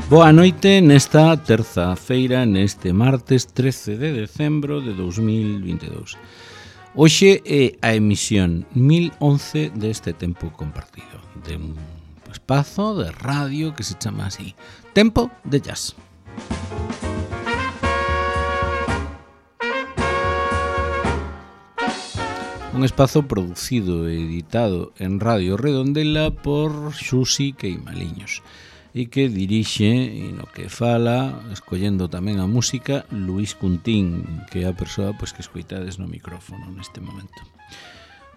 Boa noite nesta terza feira, neste martes 13 de decembro de 2022. Hoxe é a emisión 1011 deste tempo compartido, de un espazo de radio que se chama así, Tempo de Jazz. Un espazo producido e editado en Radio Redondela por Xusi Queimaliños e que dirixe e no que fala, escollendo tamén a música, Luís Cuntín, que é a persoa que escoitades no micrófono neste momento.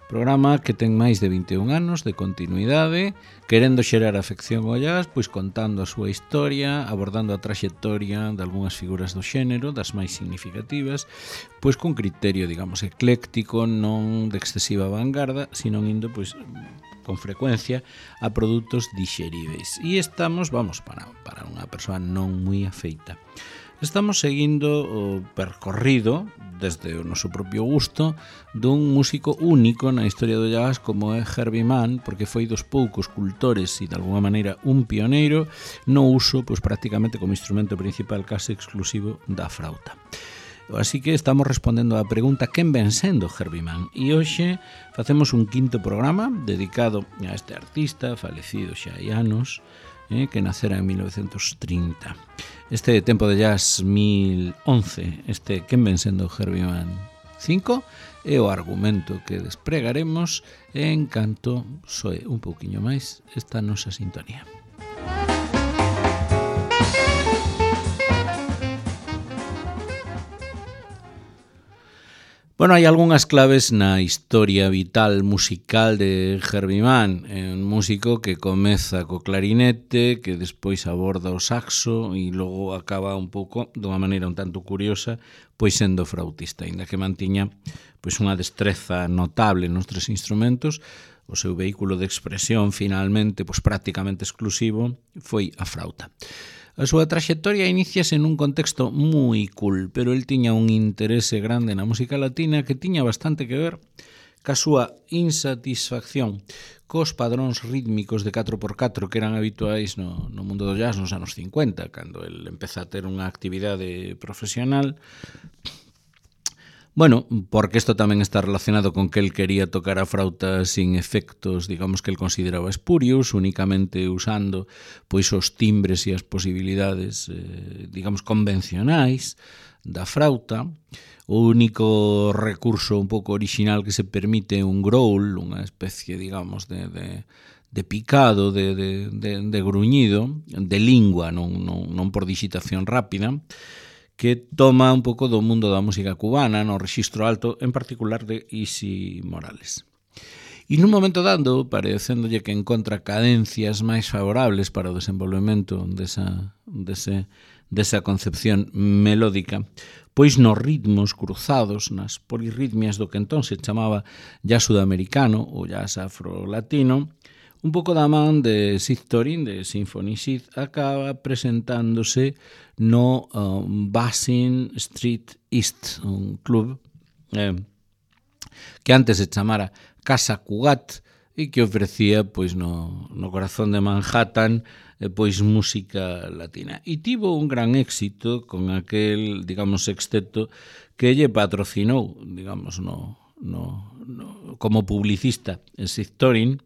Programa que ten máis de 21 anos de continuidade, querendo xerar afección ao jazz, contando a súa historia, abordando a traxectoria de algunhas figuras do xénero, das máis significativas, con criterio, digamos, ecléctico, non de excesiva vanguarda, sino indo, con frecuencia a produtos dixeríveis. E estamos, para unha persoa non moi afeita, estamos seguindo o percorrido, desde o noso propio gusto, dun músico único na historia do jazz como é Herbie Mann, porque foi dos poucos cultores e de alguma maneira un pioneiro no uso, prácticamente como instrumento principal case exclusivo da frauta. Así que estamos respondendo á pregunta quen ven sendo Herbie Mann, e hoxe facemos un quinto programa dedicado a este artista falecido xa hai anos, que nacera en 1930. Este Tempo de Jazz 1011, este quen ven sendo Herbie Mann 5, é o argumento que despregaremos en canto soe un pouquiño máis esta nosa sintonía. Hai algunhas claves na historia vital musical de Herbie Mann, un músico que comeza co clarinete, que despois aborda o saxo e logo acaba un pouco, dunha maneira un tanto curiosa, sendo flautista, aínda que mantiña unha destreza notable nos tres instrumentos. O seu vehículo de expresión, finalmente, prácticamente exclusivo, foi a frauta. A súa traxectoria iníciase nun contexto moi cool, pero el tiña un interese grande na música latina que tiña bastante que ver ca súa insatisfacción cos padróns rítmicos de 4x4 que eran habituais no mundo do jazz nos anos 50, cando el empeza a ter unha actividade profesional. Porque isto tamén está relacionado con que el quería tocar a frauta sin efectos, digamos, que el consideraba espurios, únicamente usando os timbres e as posibilidades, digamos, convencionais da frauta. O único recurso un pouco original que se permite é un growl, unha especie, digamos, de picado, de gruñido, de lingua, non por digitación rápida, que toma un pouco do mundo da música cubana, no rexistro alto, en particular de Isi Morales. E nun momento dado, parecéndolle que encontra cadencias máis favorables para o desenvolvemento desa concepción melódica, nos ritmos cruzados, nas polirritmias do que entón se chamaba jazz sudamericano ou jazz afro-latino, un pouco da man de Sid Torin, de Symphony Sid, acaba presentándose no Basin Street East, un club que antes se chamara Casa Cugat e que ofrecía no corazón de Manhattan música latina. E tivo un gran éxito con aquel, digamos, sexteto que lle patrocinou, digamos, como publicista Sid Torin,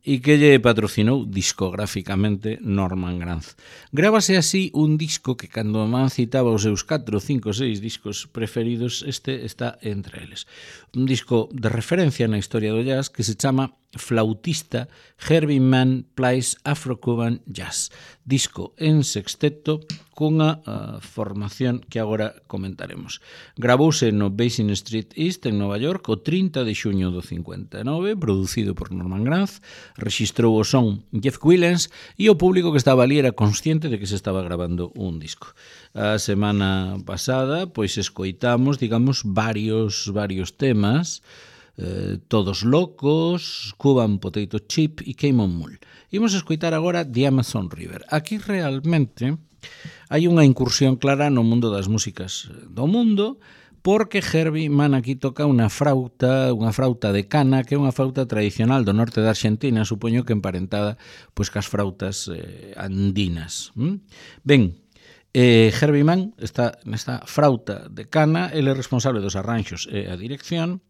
e que lle patrocinou discográficamente Norman Granz. Grábase así un disco que cando Mann citaba os seus 4, 5, 6 discos preferidos, este está entre eles. Un disco de referencia na historia do jazz que se chama Flautista Herbie Mann Plays Afro-Cuban Jazz. Disco en sexteto cunha formación que agora comentaremos. Gravouse no Basin Street East en Nova York o 30 de xuño do 59, producido por Norman Granz, rexistrou o son Jeff Willens e o público que estaba ali era consciente de que se estaba grabando un disco. A semana pasada, escoitamos, digamos, varios temas, Todos Locos, Cuban Potato Chip e Came on Mule. Imos escoitar agora The Amazon River. Aquí realmente hai unha incursión clara no mundo das músicas do mundo, porque Herbie Mann aquí toca unha frauta de cana, que é unha frauta tradicional do norte da Argentina, supoño que emparentada pois cas frautas andinas. Ben, Herbie Mann está nesta frauta de cana, ele é responsable dos arranxos e a dirección.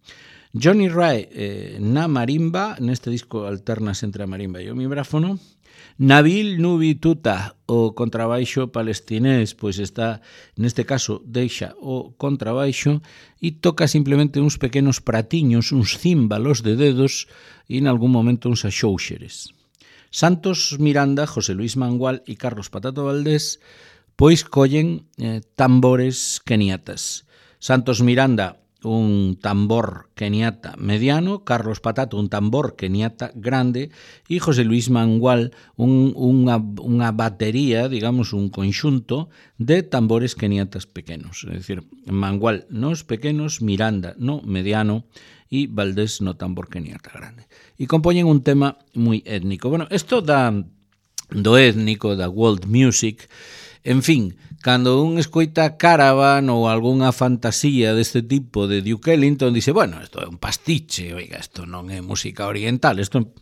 Johnny Ray na marimba, neste disco alternas entre a marimba e o vibráfono. Nabil Nubi Tuta, o contrabaixo palestinés, pois está, neste caso, deixa o contrabaixo e toca simplemente uns pequenos pratiños, uns címbalos de dedos e en algún momento uns axóuxeres. Santos Miranda, José Luis Mangual e Carlos Patato Valdés pois collen tambores keniatas. Santos Miranda, un tambor keniata mediano, Carlos Patato, un tambor keniata grande, e José Luis Mangual, unha batería, digamos, un conxunto de tambores keniatas pequenos. É dicir, Mangual nos pequenos, Miranda no mediano e Valdés no tambor keniata grande. E compoñen un tema moi étnico. Bueno, isto do étnico, da world music, en fin, cando un escoita Caravan ou algunha fantasía deste tipo de Duke Ellington, dice, bueno, isto é un pastiche, oiga, isto non é música oriental, isto...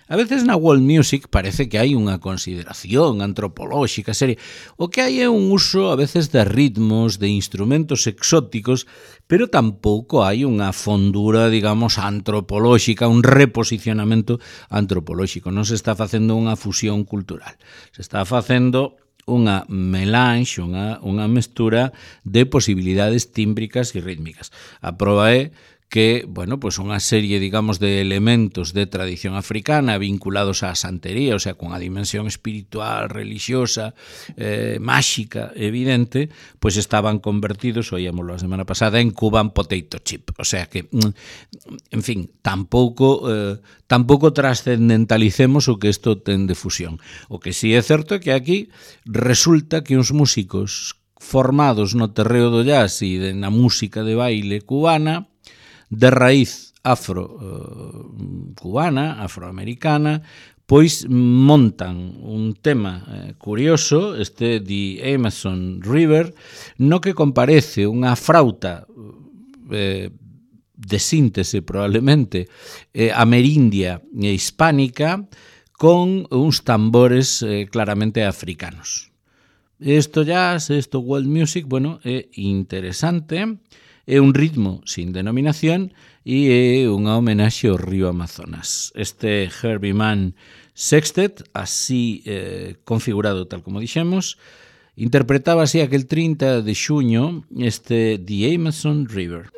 A veces na world music parece que hai unha consideración antropolóxica, seria. O que hai é un uso a veces de ritmos, de instrumentos exóticos, pero tampouco hai unha fondura, digamos, antropolóxica, un reposicionamento antropolóxico. Non se está facendo unha fusión cultural. Se está facendo unha melange, unha mestura de posibilidades tímbricas e rítmicas. A proba é que, bueno, pues unha serie, digamos, de elementos de tradición africana vinculados á santería, o sea, con a dimensión espiritual, religiosa, máxica, evidente, pues estaban convertidos, oíamoslo a semana pasada, en Cuban potato chip. O sea que, en fin, tampouco trascendentalicemos o que isto ten de fusión. O que sí é certo é que aquí resulta que uns músicos formados no terreo do jazz e na música de baile cubana, de raíz afro-cubana, afroamericana, pois montan un tema curioso, este The Amazon River, no que comparece unha frauta de síntese probablemente amerindia e hispánica con uns tambores claramente africanos. Isto jazz, isto world music, bueno, é interesante. É un ritmo sin denominación e é unha homenaxe ao río Amazonas. Este Herbie Mann Sextet, así configurado tal como dixemos, interpretaba así aquel 30 de xuño este The Amazon River.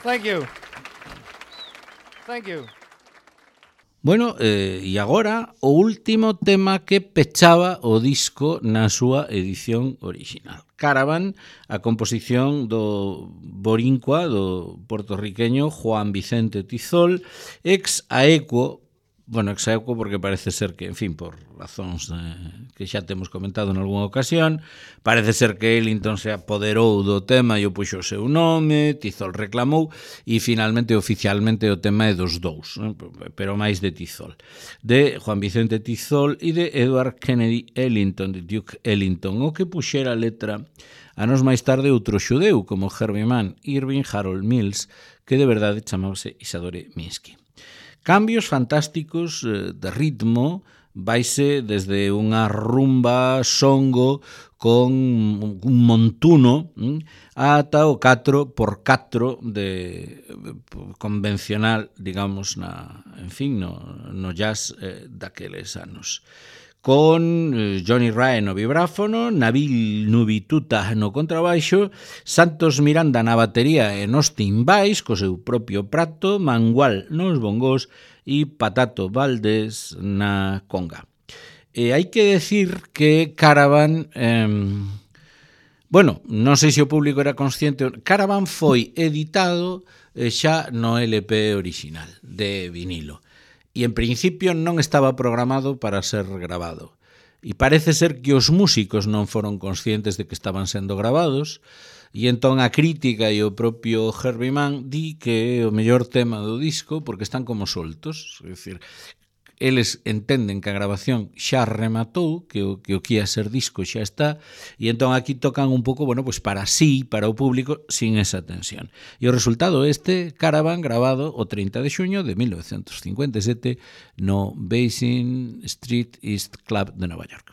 Thank you. Thank you. Bueno, e agora o último tema que pechaba o disco na súa edición original. Caravan, a composición do borincua, do portorriqueño Juan Vicente Tizol, ex aequo, porque parece ser que, en fin, por razóns que xa temos comentado en algunha ocasión, parece ser que Ellington se apoderou do tema e o puxo o seu nome, Tizol reclamou, e finalmente, oficialmente, o tema é dos dous, pero máis de Tizol. De Juan Vicente Tizol e de Edward Kennedy Ellington, de Duke Ellington, o que puxera a letra anos máis tarde outro xudeu, como Herbie Mann, Irving Harold Mills, que de verdade chamábase Isadore Minsky. Cambios fantásticos de ritmo, vaise desde unha rumba songo con un montuno ata o 4x4 de convencional, digamos, no jazz daqueles anos. Con Johnny Ray no vibráfono, Nabil Nubituta no contrabaixo, Santos Miranda na batería e nos timbais, co seu propio prato, Mangual nos bongos e Patato Valdés na conga. E hai que decir que Caravan... non sei se o público era consciente, Caravan foi editado xa no LP original de vinilo. E en principio non estaba programado para ser grabado. E parece ser que os músicos non foron conscientes de que estaban sendo gravados, e entón a crítica e o propio Herbie Mann di que é o mellor tema do disco porque están como soltos, é dicir, eles entenden que a grabación xa rematou, que o que ia ser disco xa está, e entón aquí tocan un pouco, pues para sí, para o público, sin esa tensión. E o resultado Caravan, grabado o 30 de xuño de 1957 no Basin Street East Club de Nova York.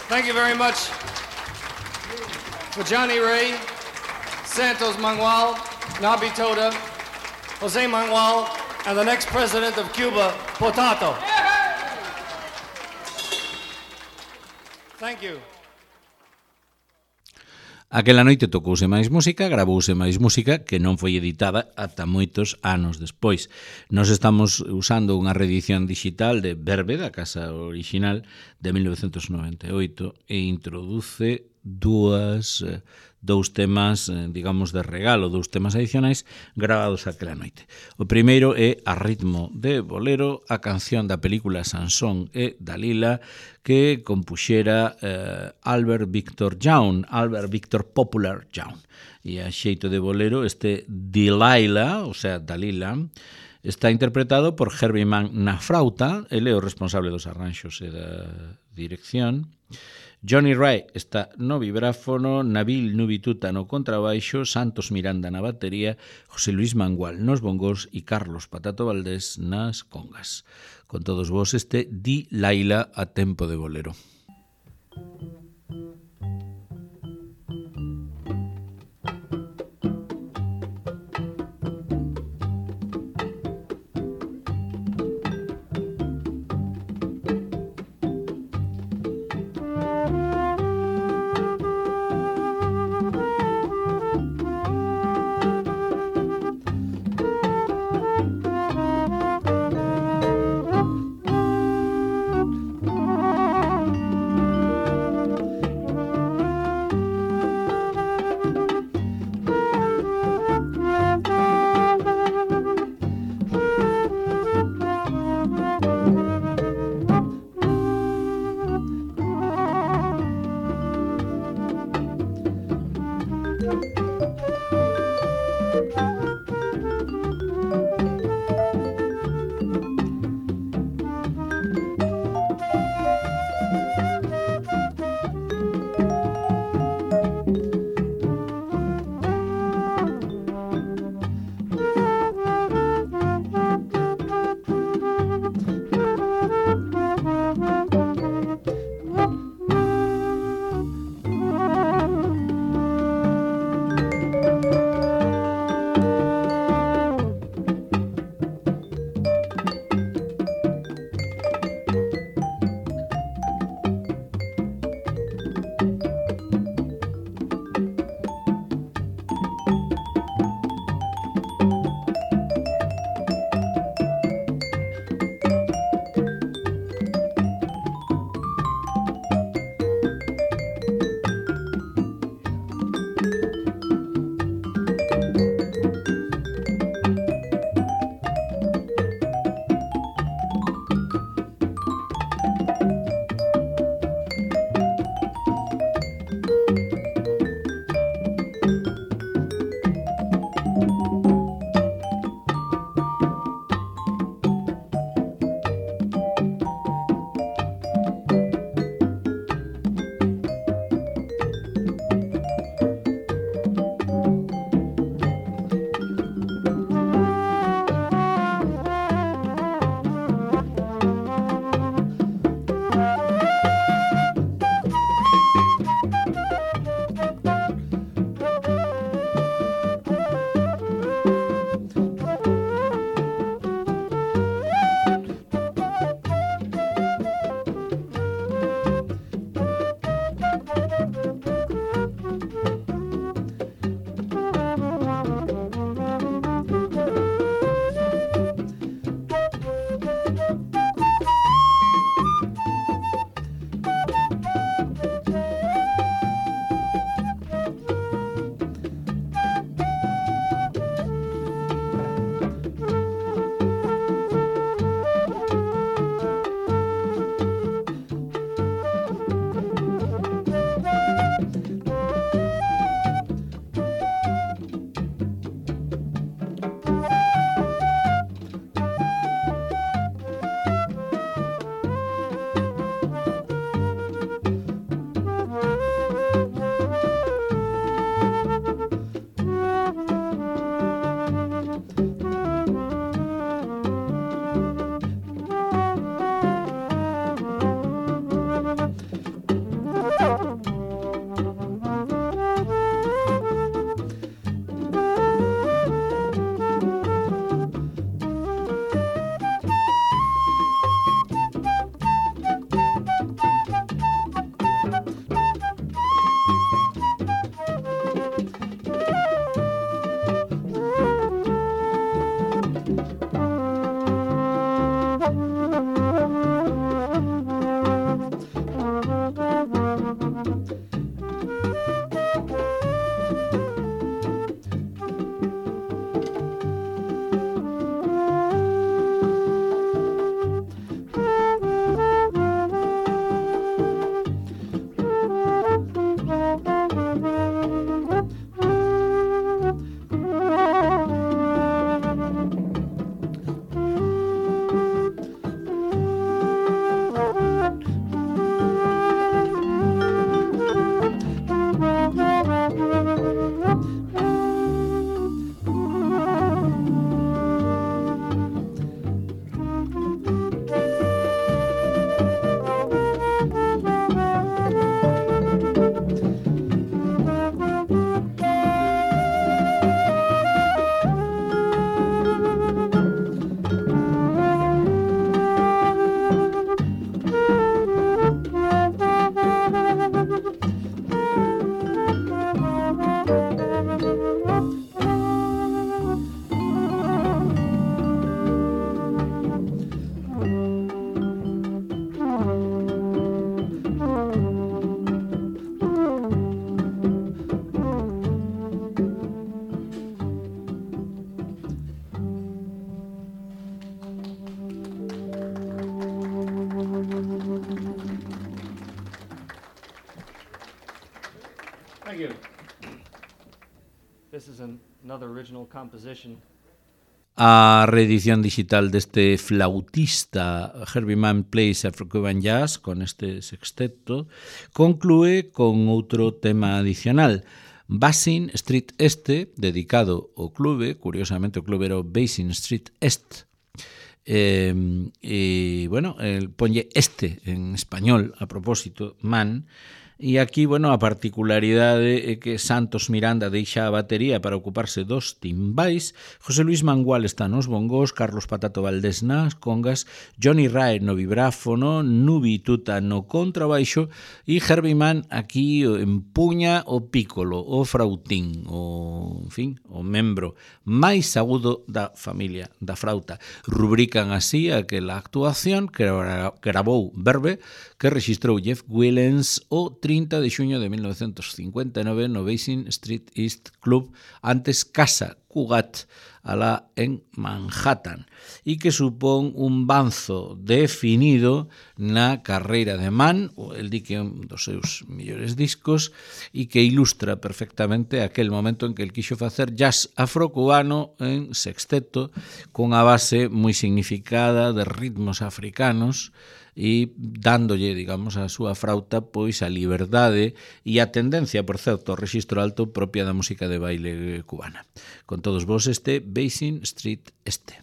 Thank you very much for Johnny Ray, Santos Manuel, Nabi Toda, Jose Manuel, and the next president of Cuba, Potato. Thank you. Aquela noite tocouse máis música, gravouse máis música que non foi editada ata moitos anos despois. Nos estamos usando unha reedición digital de Verbe, da casa original, de 1998 e introduce dous temas, digamos, de regalo, dous temas adicionais gravados aquela noite. O primeiro é A ritmo de bolero, a canción da película Sansón e Dalila que compuxera Albert Victor Popular Young. E a xeito de bolero este Delilah, o sea, Dalila, está interpretado por Herbie Mann na frauta, ele é o responsable dos arranxos e da dirección. Johnny Ray está no vibráfono, Nabil Nubituta no contrabaixo, Santos Miranda na batería, José Luis Mangual nos bongos e Carlos Patato Valdés nas congas. Con todos vos este Di Laila a tempo de bolero. Thank you. This is another original composition. A reedición digital deste flautista Herbie Mann Plays Afro-Cuban Jazz con este sexteto conclúe con outro tema adicional, Basin Street Este, dedicado ao clube, curiosamente o clube era o Basin Street Est. Bueno, ponlle este en español a propósito, Mann. E aquí, bueno, a particularidade é que Santos Miranda deixa a batería para ocuparse dos timbais, José Luis Mangual está nos bongos, Carlos Patato Valdés nas congas, Johnny Rae no vibráfono, Nubi Tuta no contrabaixo e Herbie Mann aquí empuña o pícolo, o frautín, en fin, o membro máis agudo da familia da frauta. Rubrican así aquela actuación que gravou Verve, que registrou Jeff Willens o 30 de xuño de 1959 no Basin Street East Club, antes Casa Cugat, alá en Manhattan, e que supón un banzo definido na carreira de Mann, el di que é un dos seus millores discos, e que ilustra perfectamente aquel momento en que el quixo facer jazz afrocubano en sexteto, cunha base moi significada de ritmos africanos, e dándolle, digamos, a súa frauta pois a liberdade e a tendencia, por certo, ao rexistro alto propia da música de baile cubana. Con todos vos este Basin Street Este.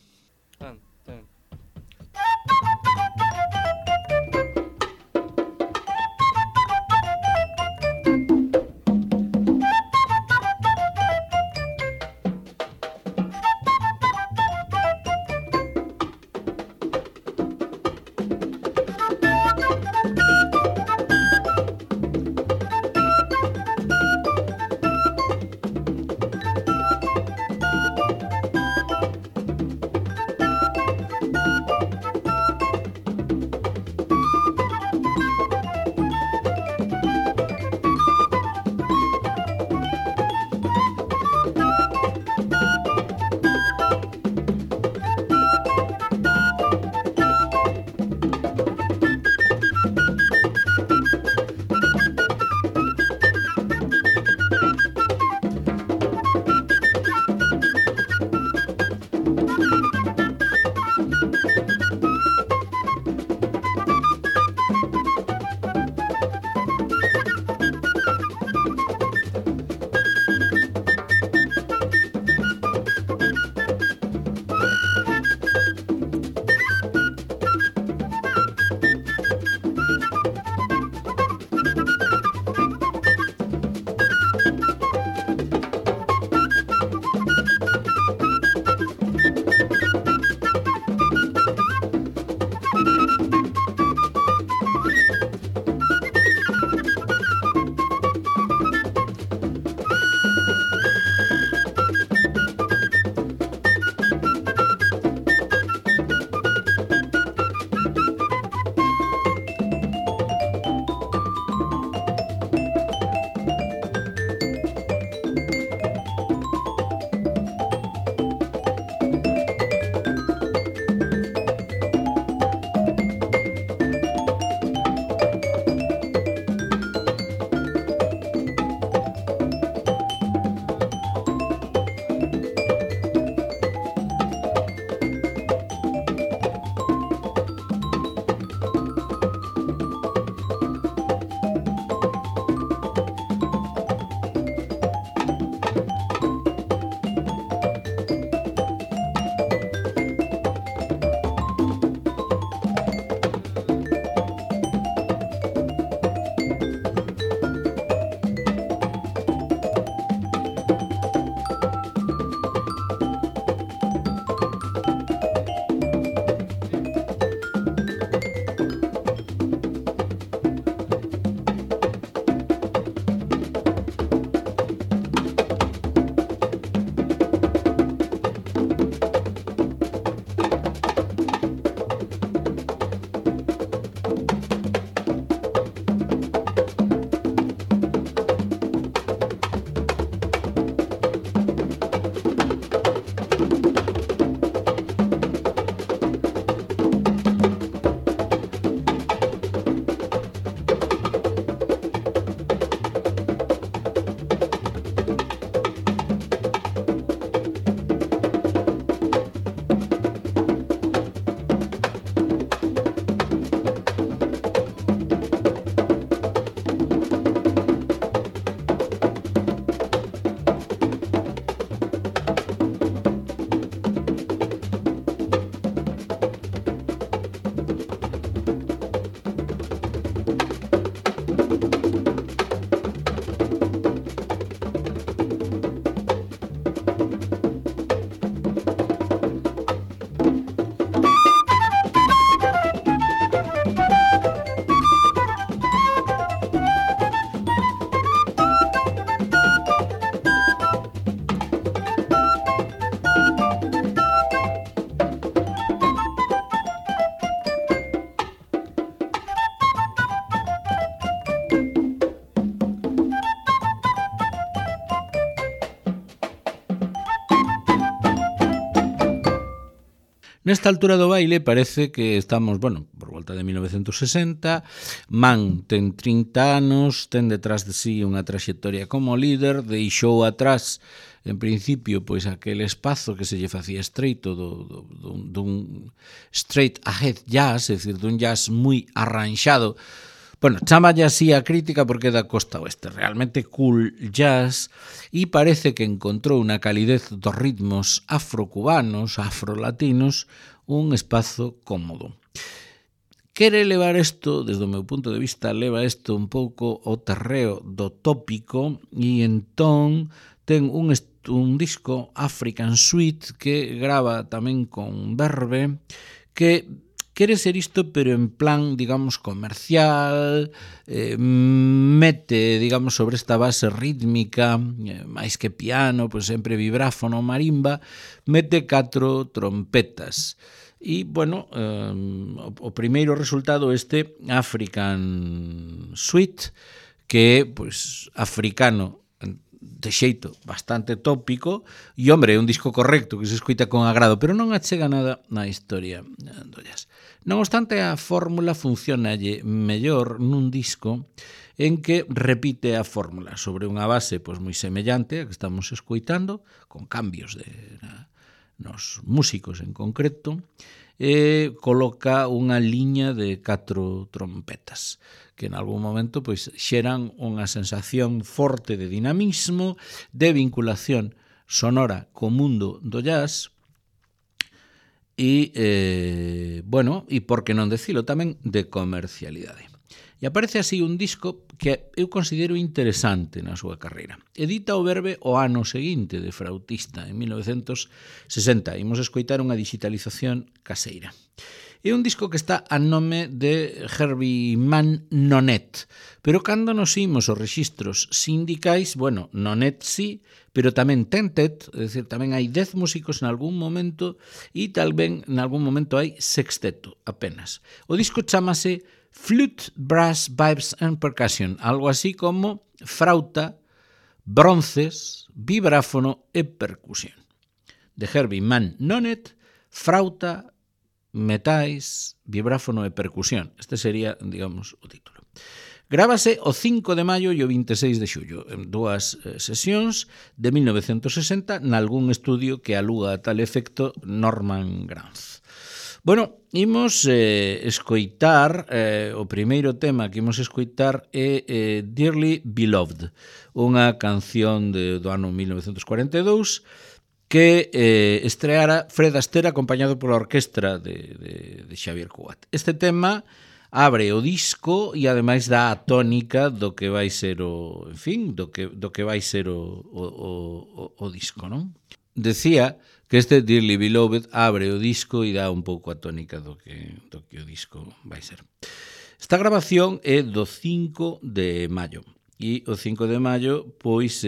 Nesta altura do baile parece que estamos, bueno, por volta de 1960, Man ten 30 anos, ten detrás de sí unha traxectoria como líder, deixou atrás, en principio, pois aquel espazo que se lle facía estreito dun straight ahead jazz, é dicir, dun jazz moi arranxado. Bueno, chamalle así a crítica porque é da costa oeste, realmente cool jazz, e parece que encontrou na calidez dos ritmos afrocubanos, afrolatinos, un espazo cómodo. Quere levar isto, desde o meu punto de vista, leva isto un pouco ao terreo do tópico e entón ten un disco African Suite que grava tamén con Verve, que quere ser isto, pero en plan, digamos, comercial, mete, digamos, sobre esta base rítmica, máis que piano, pois sempre vibráfono, marimba, mete 4 trompetas. E, bueno, o primeiro resultado este African Suite, que é, pois, africano, de xeito bastante tópico, e, hombre, é un disco correcto que se escoita con agrado, pero non achega nada na historia do jazz. Non obstante, a fórmula funcionalle mellor nun disco en que repite a fórmula sobre unha base pois moi semellante a que estamos escoitando, con cambios nos músicos en concreto, e coloca unha liña de 4 trompetas que en algún momento pois xeran unha sensación forte de dinamismo, de vinculación sonora co mundo do jazz e, bueno, e por que non decilo tamén, de comercialidade. E aparece así un disco que eu considero interesante na súa carreira. Edita o Verve o ano seguinte de Frautista, en 1960. Imos escoitar unha digitalización caseira. É un disco que está a nome de Herbie Mann Nonet, pero cando nos imos os rexistros sindicais, bueno, Nonet sí, pero tamén tentet, é dicir, tamén hai 10 músicos en algún momento e talvez en algún momento hai sexteto apenas. O disco chamase Flute, Brass, Vibes and Percussion, algo así como frauta, bronces, vibráfono e percusión. De Herbie Mann Nonet, frauta, metais, vibráfono e percusión. Este sería, digamos, o título. Grábase o 5 de maio e o 26 de xullo, en 2 sesións de 1960, nalgún estudio que aluga a tal efecto Norman Granz. Bueno, imos escoitar, o primeiro tema que imos escoitar é Dearly Beloved, unha canción do ano 1942, que estreara Fred Astaire acompañado pola orquestra de Xavier Cugat. Este tema abre o disco e ademais dá a tónica do que vai ser o, en fin, do que vai ser o disco, non? Decía que este Dearly Beloved abre o disco e dá un pouco a tónica do que o disco vai ser. Esta grabación é do 5 de maio. E o 5 de maio, pois,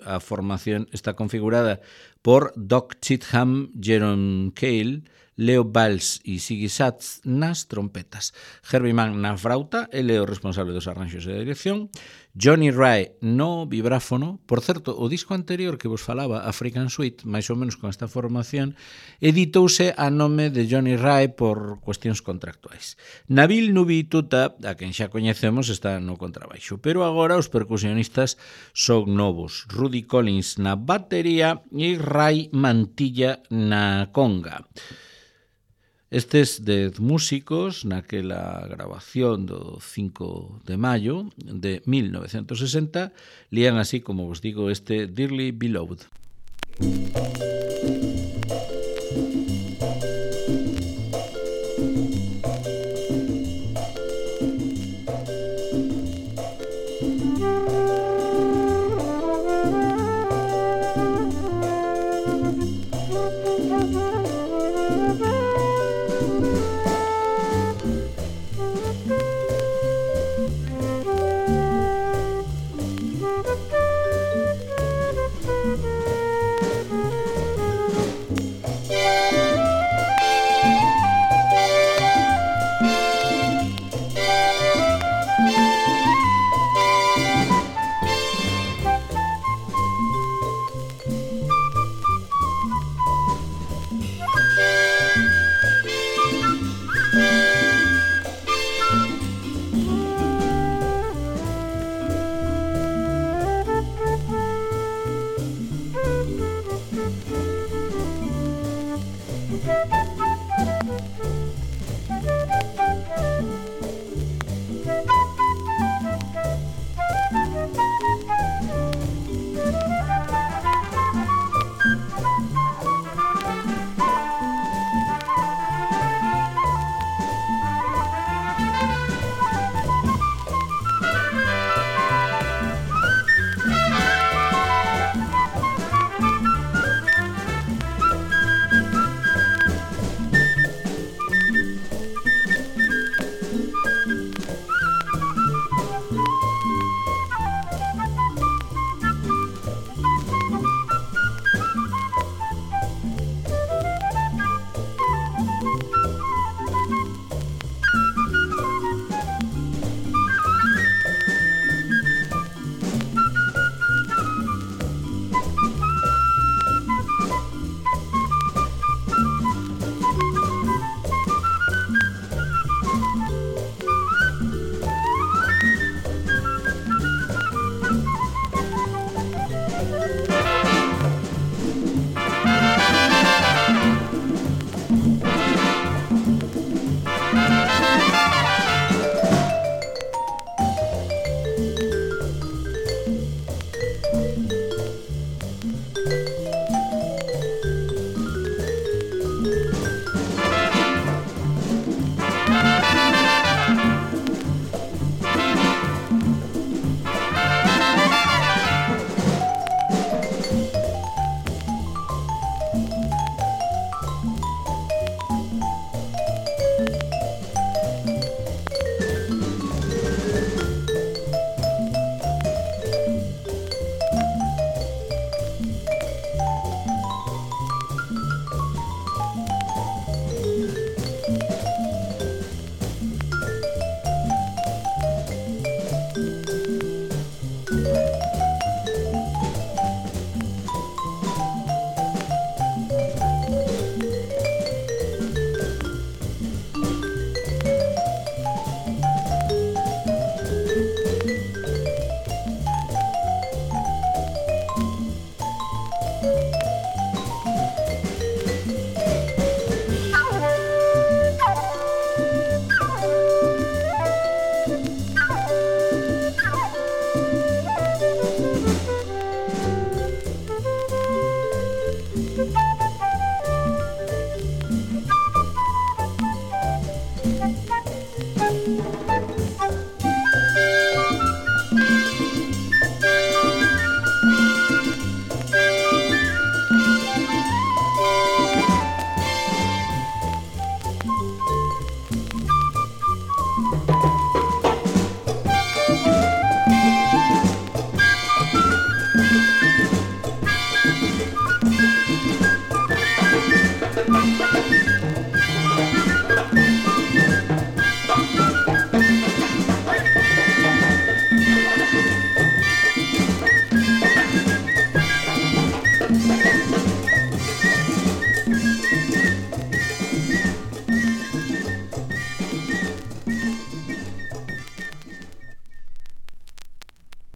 a formación está configurada por Doc Cheatham, Jerome Cale, Leo Valls e Siggy Satz nas trompetas, Herbie Mann na frauta, ele é o responsable dos arranxos e da dirección, Johnny Ray no vibráfono. Por certo, o disco anterior que vos falaba, African Suite, máis ou menos con esta formación, editouse a nome de Johnny Ray por cuestións contractuais. Nabil Nubi Tuta, a quen xa coñecemos, está no contrabaixo, pero agora os percusionistas son novos, Rudy Collins na batería e Ray Mantilla na conga. Estes 10 músicos naquela grabación do 5 de maio de 1960 lían así, como vos digo, este Dearly Beloved.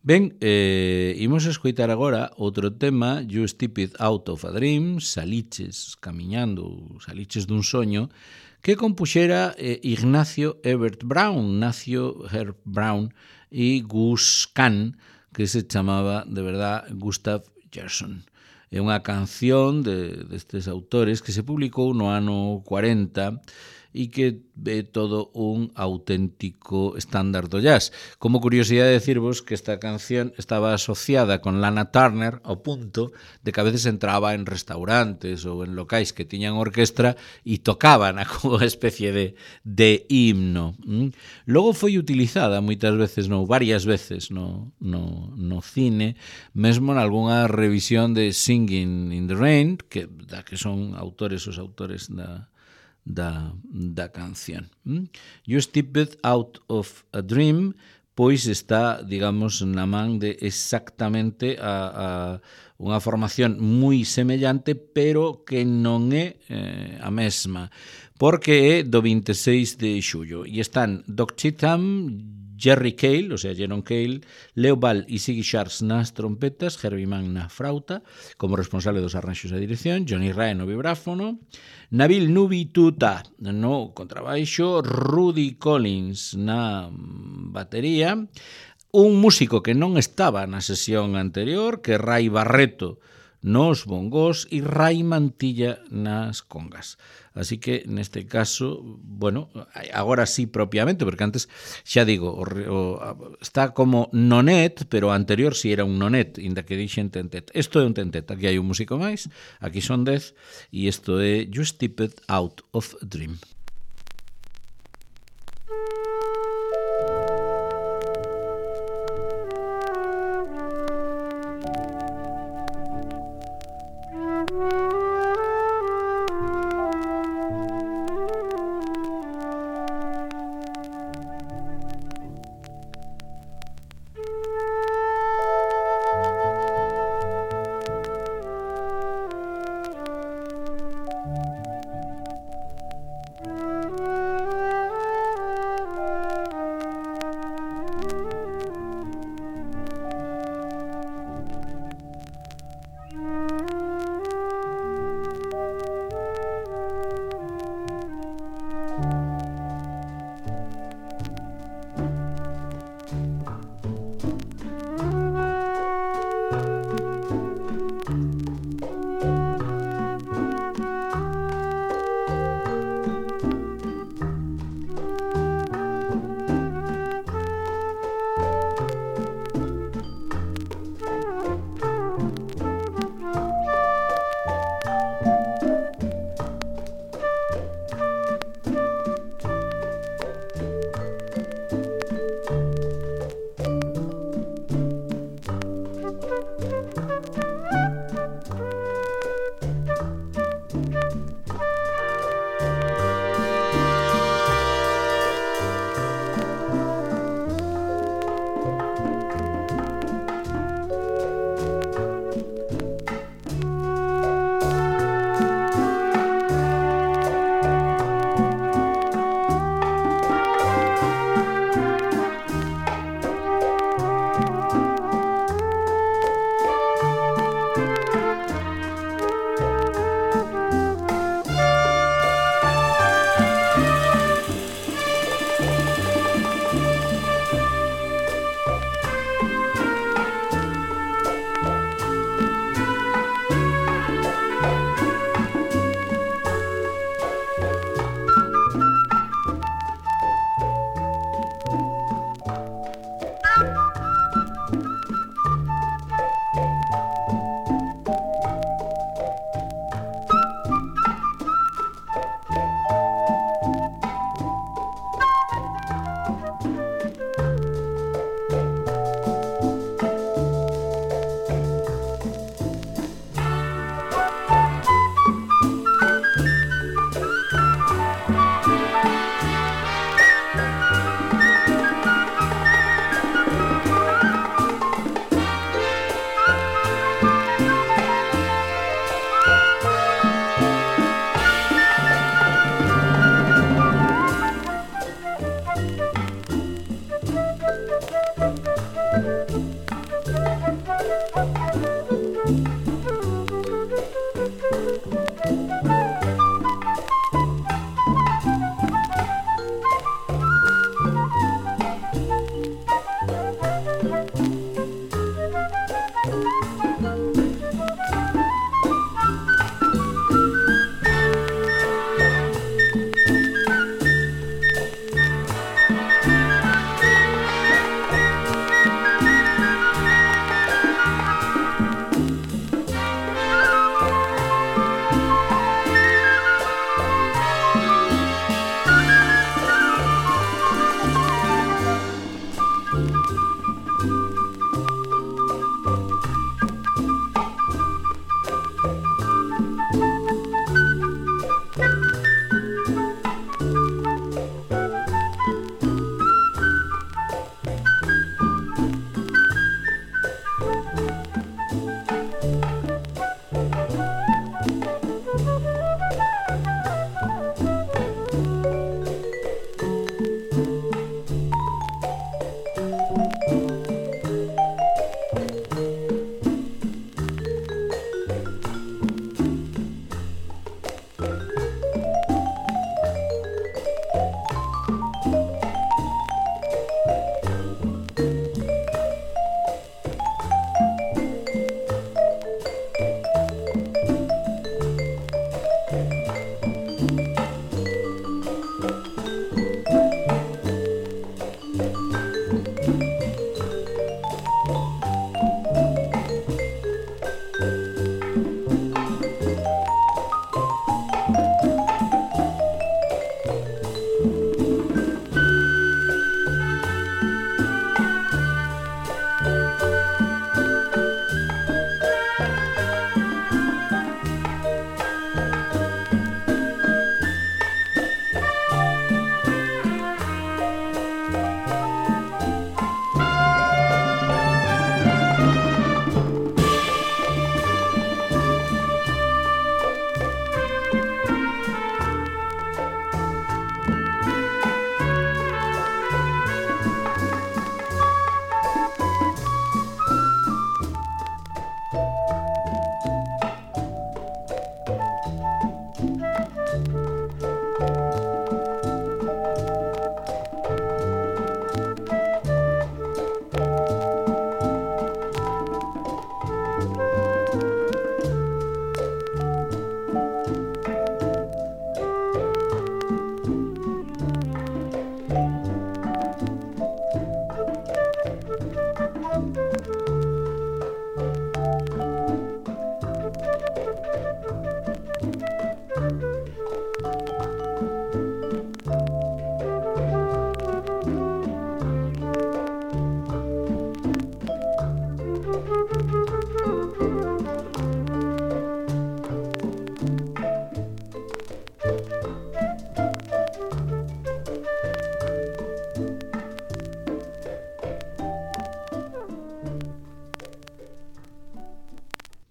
Ben, imos escoitar agora outro tema, You Stepped Out of a Dream, saliches camiñando, saliches dun soño, que compuxera Ignacio Herbert Brown, e Gus Kahn, que se chamaba, de verdad, Gustav Gerson. É unha canción destes autores que se publicou no ano 40 e que é todo un auténtico estándar do jazz. Como curiosidade decirvos que esta canción estaba asociada con Lana Turner ao punto de que a veces entraba en restaurantes ou en locais que tiñan orquestra e tocaban como unha especie de himno. Logo foi utilizada moitas veces, varias veces no cine, mesmo en algunha revisión de Singing in the Rain, que son os autores da canción. You Stepped Out of a Dream, pois está, digamos, na man de exactamente a unha formación moi semellante, pero que non é a mesma, porque é do 26 de xullo, e están Doc Cheatham, Jerry Cale, o sea, Jerome Cale, Leo Ball e Ziggy Sharp nas trompetas, Herbie Mann na frauta, como responsable dos arranxos e dirección, Johnny Ray no vibráfono, Nabil Nubi Tuta no contrabaixo, Rudy Collins na batería, un músico que non estaba na sesión anterior, que é Ray Barreto nos bongos e Ray Mantilla nas congas. Así que, neste caso, bueno, agora sí propiamente, porque antes, xa digo, está como nonet, pero anterior sí era un nonet, inda que dixen tentet. Isto é un tentet, aquí hai un músico máis, aquí son 10, e isto é You Stepped Out of a Dream.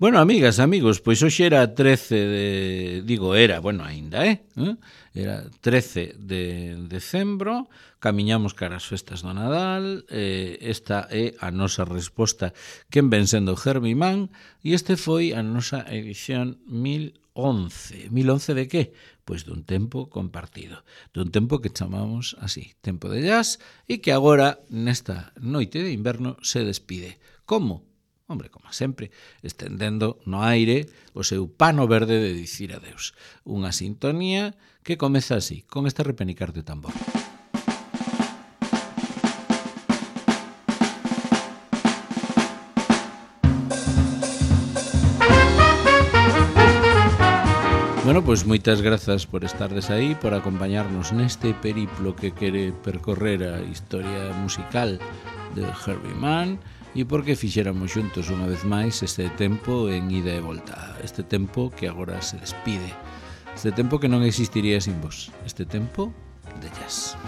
Bueno, amigas, amigos, pois hoxe era 13 de... Digo, era, bueno, aínda, Era 13 de decembro, camiñamos cara as festas do Nadal, esta é a nosa resposta quen ven sendo Herbie Mann, e este foi a nosa edición 1011. 1011 de que? Pois dun tempo compartido, dun tempo que chamamos así, tempo de jazz, e que agora, nesta noite de inverno, se despide. Como? Hombre, como sempre, estendendo no aire o seu pano verde de dicir adeus. Unha sintonía que comeza así, con este repenicar de tambor. Bueno, pois moitas grazas por estardes aí, por acompañarnos neste periplo que quere percorrer a historia musical de Herbie Mann, e porque fixéramos xuntos unha vez máis este tempo en ida e volta, este tempo que agora se despide, este tempo que non existiría sin vos, este tempo de jazz.